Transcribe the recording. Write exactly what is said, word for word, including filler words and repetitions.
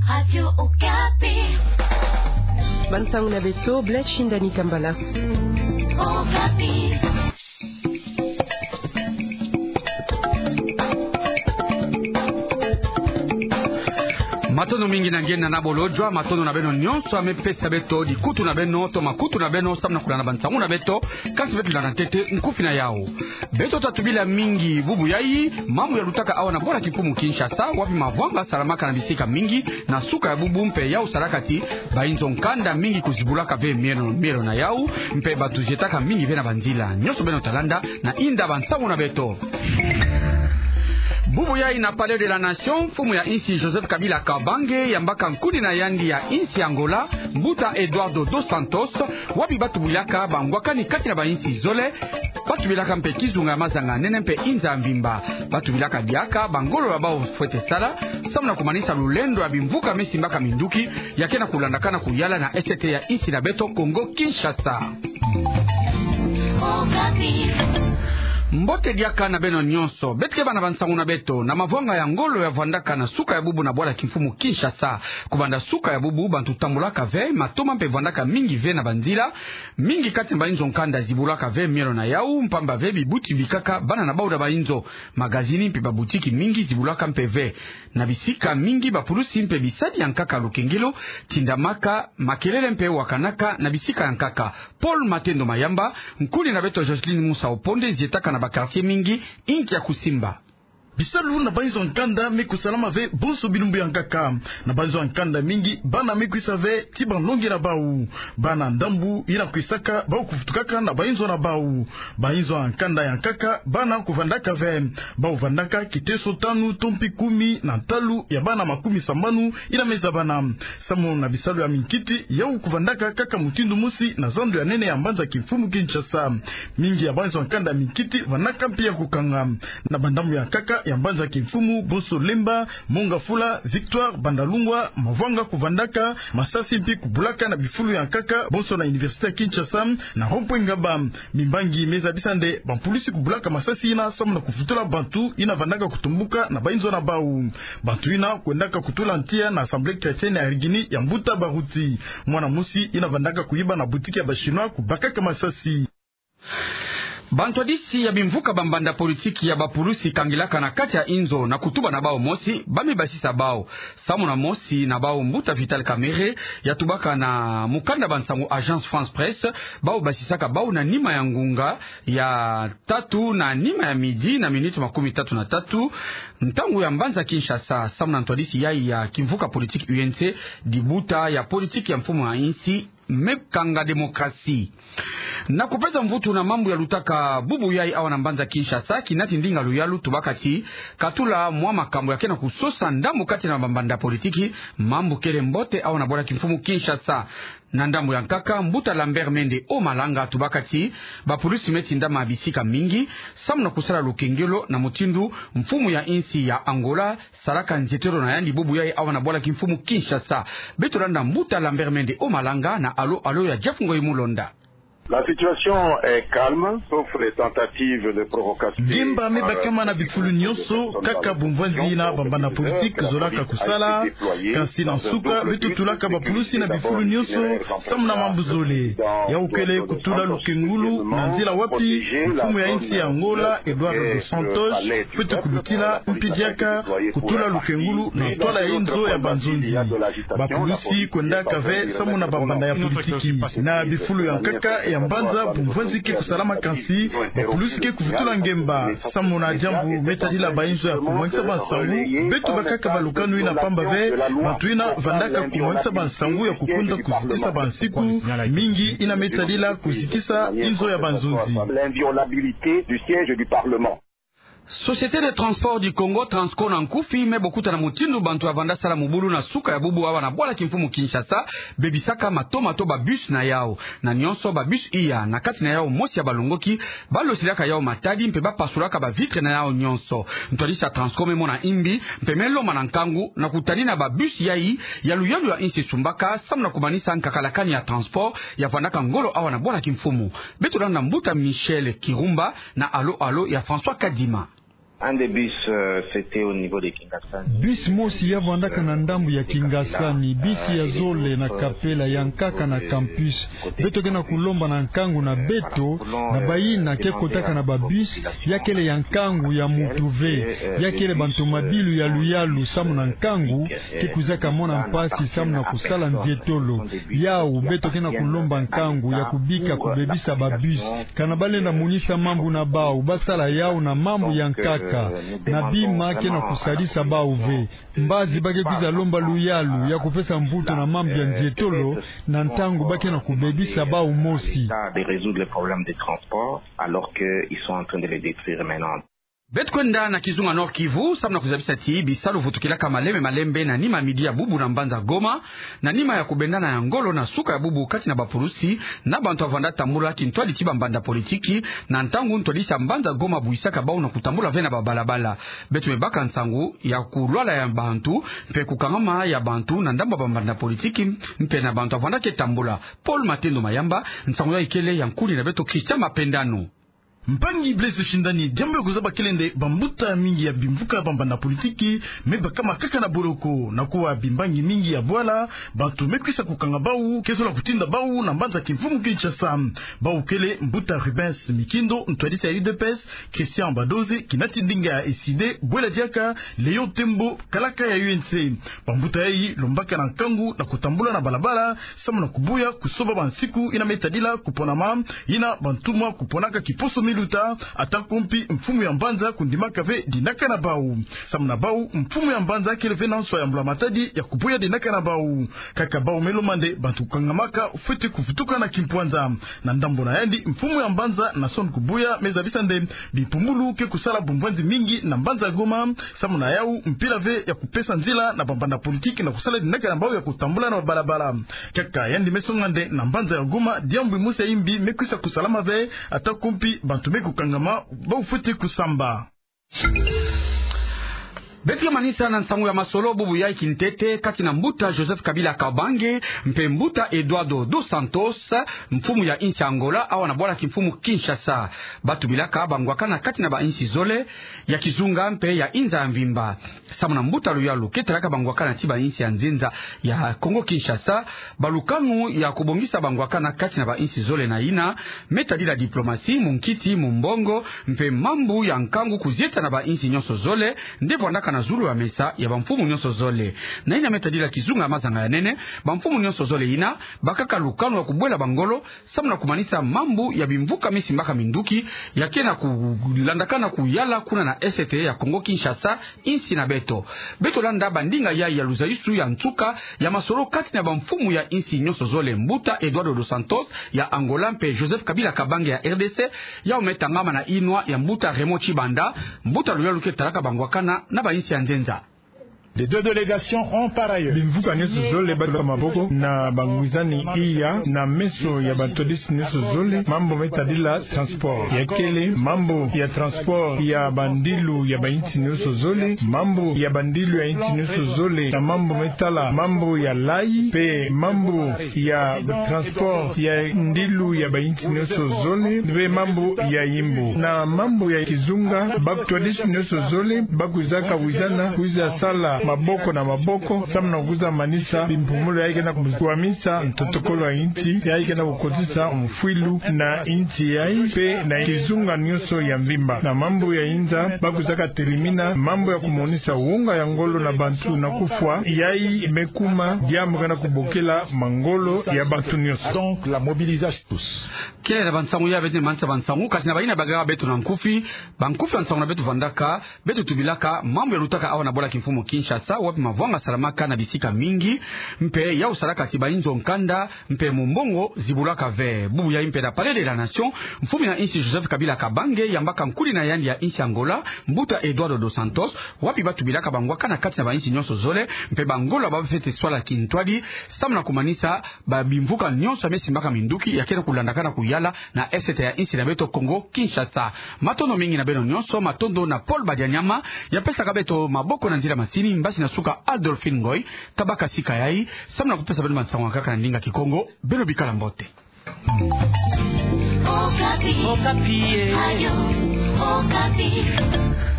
Radio Okapi. Bansangu na beto, Blaise Shindani Kambala. Okapi. Matondo mingi na nge na bolojwa, matondo na beno nyonso ya me pesa beto dikutu na beno, to makutu na beno, samu na kulanda bansangu na beto, kansi beto landa ntete nkufi na yau. Beto ta tubila mingi bubu yai, mambu ya lutaka awa na bwala kimfumu Kinshasa, wapi mavwanga salamaka na bisika mingi, na suka ya bubu mpe yau salaka ti, bainzo nkanda mingi kuzibulaka ve mielo, mielo na yau, mpe bantu zietaka mingi ve na banzila. Nyonso beno ta landa, na inda bansangu na beto. Bubu yai na Palais de la Nation, mfumu ya insi Joseph Kabila Kabange, yambaka nkuni na yandi ya insi Angola, mbuta Eduardo dos Santos, wapi ba tubilaka bangwakani kati na bainsi zole, ba tubilaka mpe kizunga ya mazanga nene mpe inza ya mvimba. Ba tubilaka diaka bangolo ya bau fwete sala, samu na kumanisa lulendo ya bimvuka me simbaka minduki, ya ke na kulandakana kuyala na S T ya insi na beto Kongo Kinshasa. Mbote diaka na beno nyonso, beto ke bana bansangu na beto, na mavwanga ya ngolo ya vwandaka na suka ya bubu na bwala kimfumu Kinshasa. Kubanda suka ya bubu, bantu tambulaka ve, matoma mpe vwandaka mingi ve na banzila, mingi kati na bainzo nkanda zibulaka ve mielo na yau, mpamba ve bibuti bikaka bana na bau na bainzo, magazini mpe babutiki mingi zibulaka mpe ve. Na bisika mingi bapulusi mpe bisadi ya nkaka lukengelo tindamaka, makelele mpe wakanaka na bisika ya nkaka. Paul Matendo Mayamba, nkuni na beto Jocelyn Musa Oponde zietaka na ba quartier mingi, inki ya kusimba. Bisalu na bainzo nkanda me kusalama ve bonso bilumbu ya nkaka. Na bainzo nkanda mingi, bana me kwisa ve ti banlongi na bau. Bana ndambu ina kwisaka bau kuvutukaka na bainzo na bau. Bainzo ya nkanda ya nkaka, bana kuvandaka ve. Bau vandaka kiteso tanu to mpi kumi na ntalu ya bana makumi sambanu ina me zabana. Samu na bisalu ya minkiti, yau kuvandaka kaka mutindu mosi na zando ya nene ya mbanza kimfumu Kinshasa. Mingi ya bainzo nkanda minkiti vandaka mpi ya kukanga. Na bandambu ya nkaka ya mbanza kimfumu, bonso Lemba, Mont Ngafula, Victoire, Bandalungwa, mavwanga kuvandaka, masasi mpi kubulaka na bifulu ya nkaka, bonso na Université ya Kinshasa, na rond-point Ngaba. Mimbangi me zabisa nde bampulusi kubulaka masasi ina samu na kuvutula bantu ina vandaka kutumbuka na bainzo na bau. Bantu ina kwendaka kutula ntia na Assemblée chrétienne ya Rigini ya mbuta Baruti. Mwana mosi ina vandaka kuyiba na boutique ya ba Chinois kubakaka masasi. Bantwadisi ya bimvuka bambanda politiki ya bapulusi kangilaka na kati ya inzo na kutuba na bau mosi, ba me basisa bau. Samu na mosi na bau, mbuta Vital Kamerhe, ya tubaka na mukanda bansangu Agence France Presse, bau basisaka bau na nima ya ngunga ya tatu na nima ya midi na minute makumi tatu na tatu, ntangu ya mbanza Kinshasa, samu na ntwadisi yai ya kimvuka politiki U N C, dibuta ya politiki ya mfumu ya insi me kanga démocratie. Na kupesa mvutu na mambu ya lutaka bubu yai awa na mbanza Kinshasa, kinati ndinga luyalu tubaka ti katula mwa makambu ya ke na kusosa ndambu kati na bambanda politiki, mambu kele mbote awa na bwala kimfumu Kinshasa. Na ndambu ya nkaka, mbuta Lambert Mende Omalanga tubaka ti bapulusi me tindama bisika mingi samu na kusala lukengelo na mutindu mfumu ya insi ya Angola salaka nzietelo na yandi bubu yai awa na bwala kimfumu Kinshasa. Beto landa mbuta Lambert Mende Omalanga na alo alo ya Jeff Ngoyi Mulonda. La situation est calme, sauf les tentatives de provocation. Ngemba me bakama na bifulu nyonso, kaka bumvwanzi na bambanda politiki zolaka kusala, kansi na nsuka, beto tulaka bapulusi na bifulu nyonso, samu na mambu zole. Yau kele kutula lukengulu na nzila wapi mfumu ya insi ya Angola, Eduardo dos Santos, fwete kulutila, mpi diaka kutula lukengulu na ntwala ya inzo ya banzonzi. Bapulusi kwendaka ve samu na bambanda ya politiki. Na bifulu ya nkaka ya mbanza bumvwanzi ke kusalama, kansi bapulusi ke kuvutula ngemba. Samu na diambu me tadila bainzo ya kumwangisa bansangu, beto bakaka balukanu ina mpamba ve, bantu ina vandaka kumwangisa bansangu ya kukonda kuzitisa bansiku, mingi ina me tadila kuzitisa inzo ya banzonzi. L'inviolabilité du siège du Parlement. Société de Transport du Congo, Transco na nkufi, me bokuta na mutindu bantu ya vanda sala mubulu na suka ya bubu awa na bwala kimfumu Kinshasa, bebisaka mato mato babus na yau. Na nyonso babus iya, na kati na yau mosi ya balongoki, balosilaka yau matadi mpe bapasulaka bavitre na yau nyonso. Ntwadisi ya Transco me mona imbi, mpe me lomba na nkangu, na kutanina babus yai, ya luyalu ya insi esumbaka, samu na kumanisa nkakalakani ya transport, ya vandaka ngolo awa na bwala kimfumu. Beto landa mbuta Michel Kirumba, na alo alo ya François Kadima. Un des bus, euh, c'était au niveau de Kingasani. Bus mosi ya vwandaka na ndambu ya Kingasani, bus ya zole na Kapela, ya nkaka na Campus. Beto ke na kulomba na nkangu na beto, na bayina ke kotaka na ba bus, ya kele ya nkangu ya muntu ve, ya kele bantu mabilu ya luyalu samu na nkangu, ke kwizaka mona mpasi samu na kusala nzietolo. Yawu, beto ke na kulomba nkangu ya kubika kubebisa ba bus. Kana balenda monisa mambu na bawu, basala yawu na mambu ya nkaka. Na bima ke na kusalisa bawu ve. Mbazi ba ke kwiza lomba luyalu ya kupesa mvutu na mambu ya nzietolo, na ntangu ba ke na kubebisa bawu mosi. De résoudre les problèmes de transport, alors qu'ils sont en train de les détruire maintenant. Beto kwenda na kizunga Nord-Kivu, samu na kuzabisa ti bisalu vutukilaka malembe malembe na nima midi ya bubu na mbanza Goma, na nima ya kubendana ya ngolo na suka ya bubu kati na bapulusi na bantu ya vwanda tambula kintwadi ti bambanda politiki, na ntangu ntwadisi ya mbanza Goma buyisaka bawu na kutambula ve na babalabala. Beto me baka nsangu ya kulwala ya bantu, mpe kukangama ya bantu na ndambu ya bambanda politiki, mpe na bantu ya vwanda ke tambula. Paul Matendo Mayamba, nsangu yayi kele ya nkuli na beto Christian Mapendano. Mpangi Blaise Shindani, diambu ya kuzaba kele nde bambuta mingi ya bimvuka bambanda politiki me bakama kaka na boloko, na kuwa bimbangi mingi ya bwala, bantu me kwisa kukanga bawu, ke zola kutinda bawu na mbanza kimfumu Kinshasa. Bawu kele mbuta Rubens Mikindo, ntwadisi ya U D P S, Christian Badozi, kinati ndinga ya S I D, bwela diaka Léon Tembo, kalaka ya U N C. Bambuta yayi lombaka na nkangu na kutambula na balabala, samu na kubuya kusoba bansiku yina me tadila kuponama, yina bantumwa kuponaka kiposo miluta, ata ko mpi mfumu ya mbanza kundimaka ve dinaka na bawu. Samu na bawu, mfumu ya mbanza kele ve na nswa ya mbula matadi ya kubuya dinaka na bawu. Kaka bawu me lomba nde bantu kukangamaka fwete kuvutuka na kimpwanza. Na ndambu na yandi, mfumu ya mbanza Naason Kubuya me zabisa nde bimpumbulu ke kusala bumbwanzi mingi na mbanza Goma, samu na yawu mpila ve ya kupesa nzila na bambanda politiki na kusala dinaka na bawu ya kutambula na balabala. Kaka yandi me songa nde na mbanza ya Goma, diambu yimosi ya yimbi me kwisa kusalama ve, ata ko mpi bantu me kukangama, bawu fwete kusamba. Beto ke manisa na nsangu ya masolo bubu yayi kintete kati na mbuta Joseph Kabila Kabange mpe mbuta Eduardo dos Santos, mfumu ya insi Angola, awa na bwala kimfumu Kinshasa. Ba tubilaka bangwakana kati na bainsi zole ya kizunga mpe ya inza ya mvimba. Samu na mbuta luyalu ke talaka bangwakana ti bainsi ya nzenza ya Congo Kinshasa, balukanu ya kubongisa bangwakana kati na bainsi zole na yina me tadila diplomasi, munkiti, mumbongo, mpe mambu ya nkangu kuzieta na bainsi nyonso zole, nde vwandaka na zulu ya mesa ya bamfumu nyonso zole. Na yina me tadila kizunga ya mazanga ya nene, bamfumu nyonso zole yina bakaka lukanu ya kubwela bangolo, samu na kumanisa mambu ya bimvuka me simbaka minduki, ya ke na kulandakana kuyala kuna na est ya Congo Kinshasa, insi na beto. Beto landa bandinga yayi ya luzayisu ya nsuka ya masolo kati na bamfumu ya insi nyonso zole, mbuta Eduardo dos Santos ya Angola mpe Joseph Kabila Kabange ya R D C, yawu me tangama na yinwa ya mbuta Raymond Tshibanda, mbuta luyalu ke talaka bangwakana na bainsi ya nzenza. Les deux délégations ont par ailleurs. Bimvuka nyonso zole batuka maboko na bangwizani iya na meso ya batwadisi nyonso zole, mambu me tadila transport. Ya kele mambu ya transport ya bandilu ya bainsi nyonso zole, mambu ya bandilu ya insi nyonso zole, na mambu me tala mambu ya layi, mpe mambu ya transport ya ndilu ya bainsi nyonso zole, mpe mambu ya yimbu. Na mambu ya kizunga, batwadisi nyonso zole ba kwizaka wizana, kwiza sala maboko na maboko, samu na kwiza manisa bimpumbulu yayi ke na kukwamisa ntotokolo ya insi, yayi ke na kukotisa mfwilu na insi yayi, mpe na kizunga nyonso ya mvimba. Na mambu ya inza, ba kwizaka telimina mambu ya kumonisa wonga ya ngolo na bantu na kufwa, yayi me kuma diambu ke na kubokela mangolo ya bantu nyonso. Donc, la mobilisation tous. Kele na bansangu ya beto manisa bansangu, kasi na bayina bagaka beto na nkufi, bankufi ya nsangu na beto vandaka, beto tubilaka mambu ya lutaka awa na bwala kimfumu Kinshasa, wapi mavwanga salamaka na bisika mingi, mpe yawu salaka ti bainzo nkanda, mpe mumbongo zibulaka ve. Bubu yayi mpe na Palais de la Nation, mfumu ya insi Joseph Kabila Kabange yambaka nkuli na yandi ya insi Angola, mbuta Eduardo dos Santos, wapi ba tubilaka bangwakana kati na bainsi nyonso zole, mpe bangolo ba fwete swala kintwadi, samu na kumanisa ba bimvuka nyonso ya me simbaka minduki ya ke na kulandakana kuyala na est ya insi na beto Congo Kinshasa. Matondo mingi na beno nyonso, matondo na Paul Badianyama ya pesaka beto maboko na nzila masini, mbasi na suka Adolphine Ngoy, kabaka sika yayi, samu na kupesa beno bansangu ya nkaka na ndinga Kikongo, beno bikala mbote. Okapi. Okapi, eh. Radio Okapi.